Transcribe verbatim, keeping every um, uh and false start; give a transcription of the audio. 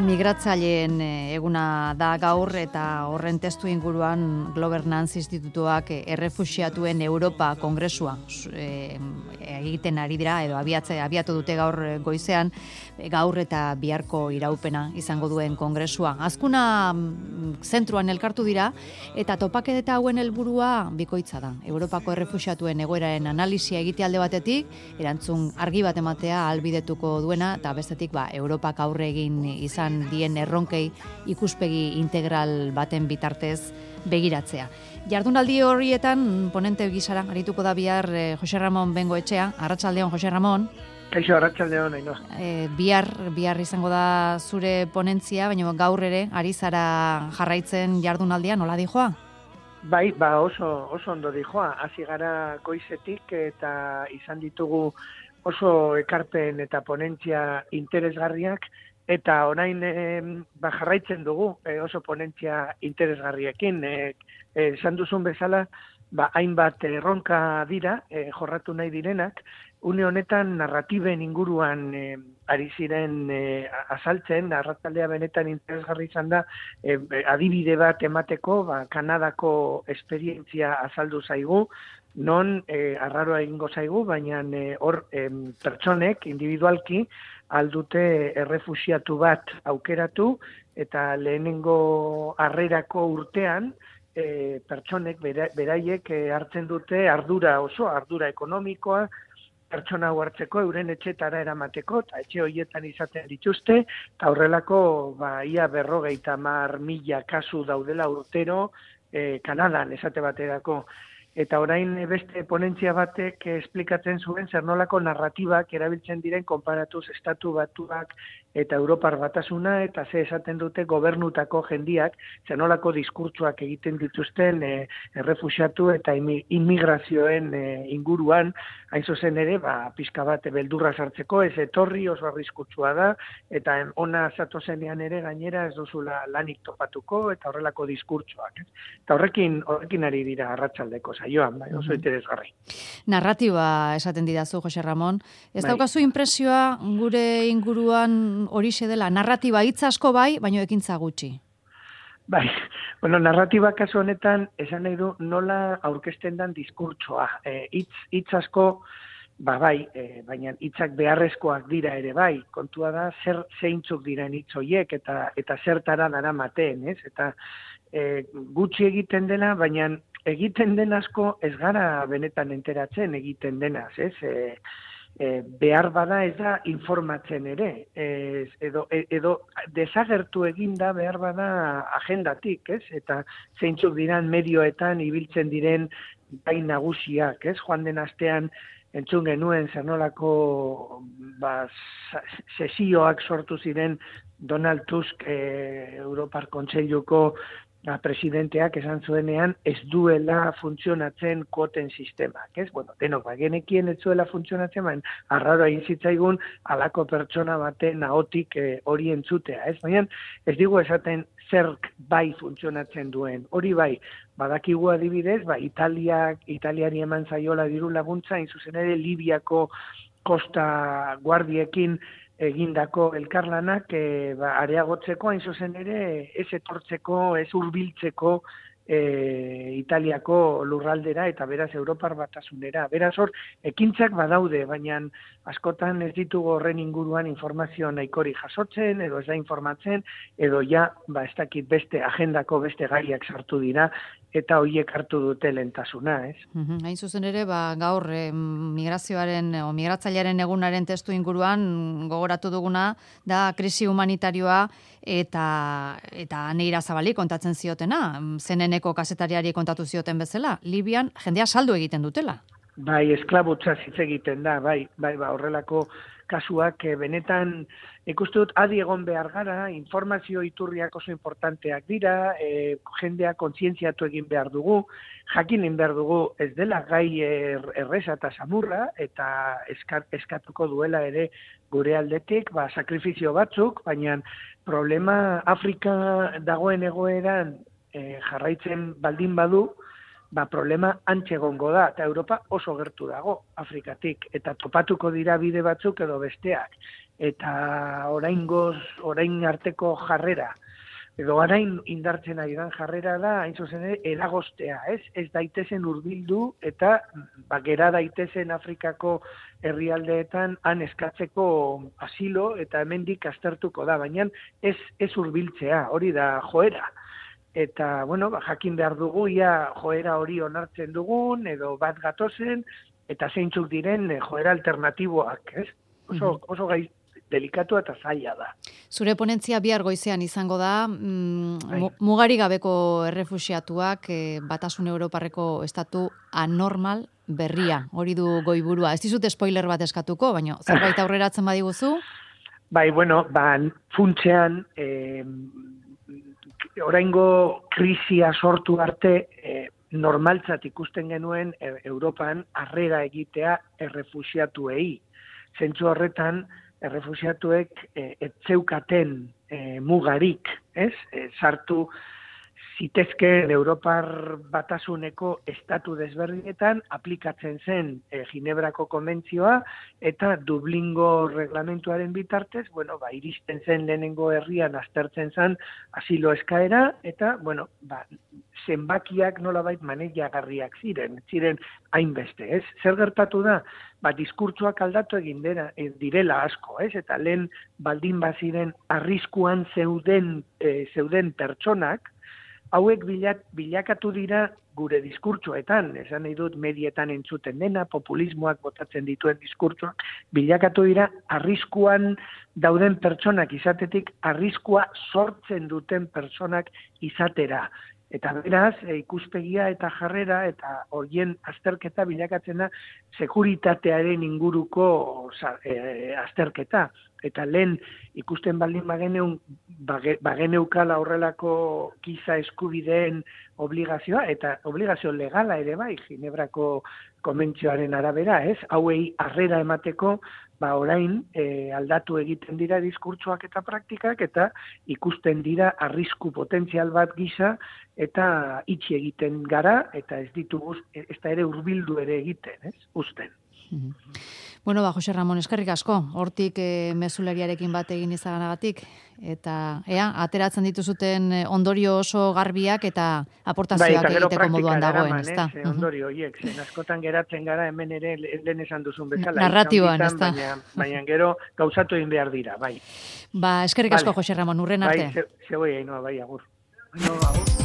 Migratzaileen eguna da gaur eta horren testu inguruan Governance Institutuak errefuxiatuen Europa Kongresua e, egiten ari dira edo abiatze, abiatu dute gaur goizean, gaur eta biharko iraupena izango duen kongresua. Azkuna zentruan elkartu dira eta topaketa hauen helburua bikoitza da. Europako errefuxiatuen egoeraren analisia egitea alde batetik, erantzun argi bat ematea ahalbidetuko duena eta bestetik ba, Europak aurre egin izan dien erronkei ikuspegi integral baten bitartez begiratzea. Jardunaldi horietan ponente gisara arituko da bihar eh, Jose Ramon Bengoetxea. Arratsaldeon, Jose Ramon. Kaixo, arratsaldeon, Ainhoa. Eh, bihar, bihar izango da zure ponentzia, baina gaur ere ari zara jarraitzen jardunaldia, nola dijoa? Bai, ba oso, oso ondo dijoa. Hasi gara goizetik eta izan ditugu oso ekarpen eta ponentzia interesgarriak, eta orain e, ba, jarraitzen dugu e, oso ponentzia interesgarriekin. E, e, esan duzun bezala, ba, hainbat erronka dira, e, jorratu nahi direnak, une honetan narratiben inguruan e, ari ziren e, azaltzen, arratsaldea benetan interesgarri izan da, e, adibide bat emateko, ba, Kanadako esperientzia azaldu zaigu, non e, arraroa egingo zaigu, baina e, hor e, pertsonek, individualki, aldute errefuxiatu bat aukeratu, eta lehenengo harrerako urtean, e, pertsonek bera, beraiek e, hartzen dute ardura oso, ardura ekonomikoa, pertsona hau hartzeko, euren etxetara eramateko, eta etxe horietan izaten dituzte, eta horrelako ba, ia berrogeita hamar mila kasu daudela urtero e, Kanadan esate baterako. Eta orain beste ponentzia batek esplikatzen zuen zer nolako narratibak erabiltzen diren konparatuz estatu batuak eta Europar batasuna, eta ze esaten dute gobernutako jendiak, zer nolako diskurtsoak egiten dituzten e, errefuxiatu eta immigrazioen e, inguruan, hain zuzen ere, ba, pixka bat beldurra sartzeko, ez etorri oso arriskutsua da, eta ona zatozenean ere gainera ez duzula lanik topatuko, eta horrelako diskurtsoak. Ez? Eta horrekin, horrekin ari dira arratsaldeko saioan, bai, oso interesgarri. Narratiba esaten didazu, Jose Ramon. Ez bai. Daukazu impresioa gure inguruan horixe dela, narratiba hitz asko bai, baino ekintza gutxi. Bai, bueno, narratiba kasu honetan esan nahi du nola aurkezten dan diskurtsoa. E, hitz, hitz asko, ba bai, e, baina hitzak beharrezkoak dira ere bai. Kontua da zer zeintzuk diren hitz horiek eta eta zertara daramaten, ez? Eta e, gutxi egiten dela, baina egiten den asko ez gara benetan enteratzen egiten denaz, ez? E, e, behar bada ez da informatzen ere, ez, edo, edo desagertu eginda behar bada agendatik, ez? Eta zeintzuk diran medioetan ibiltzen diren bai nagusiak, ez? Joan den astean entzun genuen zer nolako ba, sesioak sortu ziren Donald Tusk e, Europar Kontseiluko La presidenteak esan zuenean ez duela funtzionatzen kuoten sistemak, ez? Bueno, denok bagenekien ez duela funtzionatzen, baina arraroa egin zitzaigun halako pertsona baten ahotik hori eh, entzutea, ez? Baina ez digu esaten zerk bai funtzionatzen duen. Hori bai, badakigu adibidez, ba Italiak, Italiari eman zaiola diru laguntza, hain zuzen ere Libiako kosta guardiekin egindako elkarlanak e, ba, areagotzeko, hain zuzen ere, ez etortzeko, ez hurbiltzeko e, Italiako lurraldera eta beraz Europar batasunera. Beraz hor, ekintzak badaude, baina askotan ez ditugu horren inguruan informazio nahikori jasotzen, edo ez da informatzen, edo ja, ba, ez dakit beste agendako beste gaiak sartu dira, eta horiek hartu dute lentasuna, ez? Uhum, hain zuzen ere, ba, gaur eh, migrazioaren o migratzailearen egunaren testu inguruan gogoratu duguna da krisi humanitarioa eta eta Neira Zabali kontatzen ziotena, zeneneko kazetariari kontatu zioten bezala, Libian jendea saldu egiten dutela. Bai, esklabutza hitz egiten da, bai, bai, ba, horrelako kasuak e, benetan ikuste dut adi egon behar gara, informazio iturriak oso importanteak dira, e, jendea kontzientziatu egin behar dugu, jakinin behar dugu ez dela gai er, erreza eta samurra, eta eskat, eskatuko duela ere gure aldetik, ba, sakrifizio batzuk, baina problema Afrika dagoen egoeran e, jarraitzen baldin badu, ba, problema antxe egongo da, eta Europa oso gertu dago Afrikatik, eta topatuko dira bide batzuk edo besteak, eta oraingoz, orain arteko jarrera, edo orain indartzen ari dan jarrera da, hain zuzen ere, eragostea, ez? Ez daitezen hurbildu eta ba, gera daitezen Afrikako herrialdeetan han eskatzeko asilo eta hemendik aztertuko da, baina ez, ez hurbiltzea, hori da joera. Eta, bueno, ba, jakin behar dugu, ia joera hori onartzen dugun, edo bat gatozen, eta zeintzuk diren joera alternatiboak, ez? Oso, oso gai delikatua eta zaila da. Zure ponentzia bihar goizean izango da, mm, mugari gabeko errefuxiatuak eh, Batasun Europarreko estatu anormal berria, hori du goiburua. Ez dizut spoiler bat eskatuko, baina zerbait aurreratzen badiguzu? Bai, bueno, ba, funtzean, eh, oraingo krisia sortu arte, eh, normaltzat ikusten genuen eh, Europan harrera egitea errefuxiatuei. Zentzu horretan, errefuxiatuek eh, etzeukaten eh, mugarik, ez? Eh, sartu zitezkeen Europar Batasuneko estatu desberdinetan aplikatzen zen eh, Ginebrako konbentzioa eta Dublingo reglamentuaren bitartez, bueno, ba, iristen zen lehenengo herrian aztertzen zen asilo eskaera eta, bueno, ba, zenbakiak nolabait maneiagarriak ziren, ziren hainbeste, ez? Zer gertatu da? Ba, diskurtsoak aldatu egin dira, direla asko, ez? Eta lehen baldin baziren arriskuan zeuden, e, zeuden pertsonak, hauek bilat, bilakatu dira gure diskurtsoetan, esan nahi dut medietan entzuten dena, populismoak botatzen dituen diskurtsoak, bilakatu dira arriskuan dauden pertsonak izatetik, arriskua sortzen duten pertsonak izatera. Eta beraz, e, ikuspegia eta jarrera eta horien azterketa bilakatzen da sekuritatearen inguruko e, azterketa. Eta lehen ikusten baldin bageneun, bage, bageneukala horrelako giza eskubideen obligazioa, eta obligazio legala ere bai, Ginebrako konbentzioaren arabera, ez? Hauei harrera emateko, ba orain e, aldatu egiten dira diskurtsoak eta praktikak, eta ikusten dira arrisku potentzial bat gisa, eta itxi egiten gara, eta ez ditugu, ez da ere hurbildu ere egiten, ez? Uzten. Mm-hmm. Bueno, ba, Jose Ramon, eskerrik asko, hortik e, mezulariarekin bat egin izaganagatik, eta ea, ateratzen dituzuten ondorio oso garbiak eta aportazioak bai, egiteko moduan dagoen, ez da? Eh, ondorio horiek, zen askotan geratzen gara hemen ere lehen esan duzun bezala. Narratiboan, ez da? Baina, baina gero gauzatu egin behar dira, bai. Ba, eskerrik asko, vale. Jose Ramon, urren arte. Bai, ze, ze bai, agur. No, agur.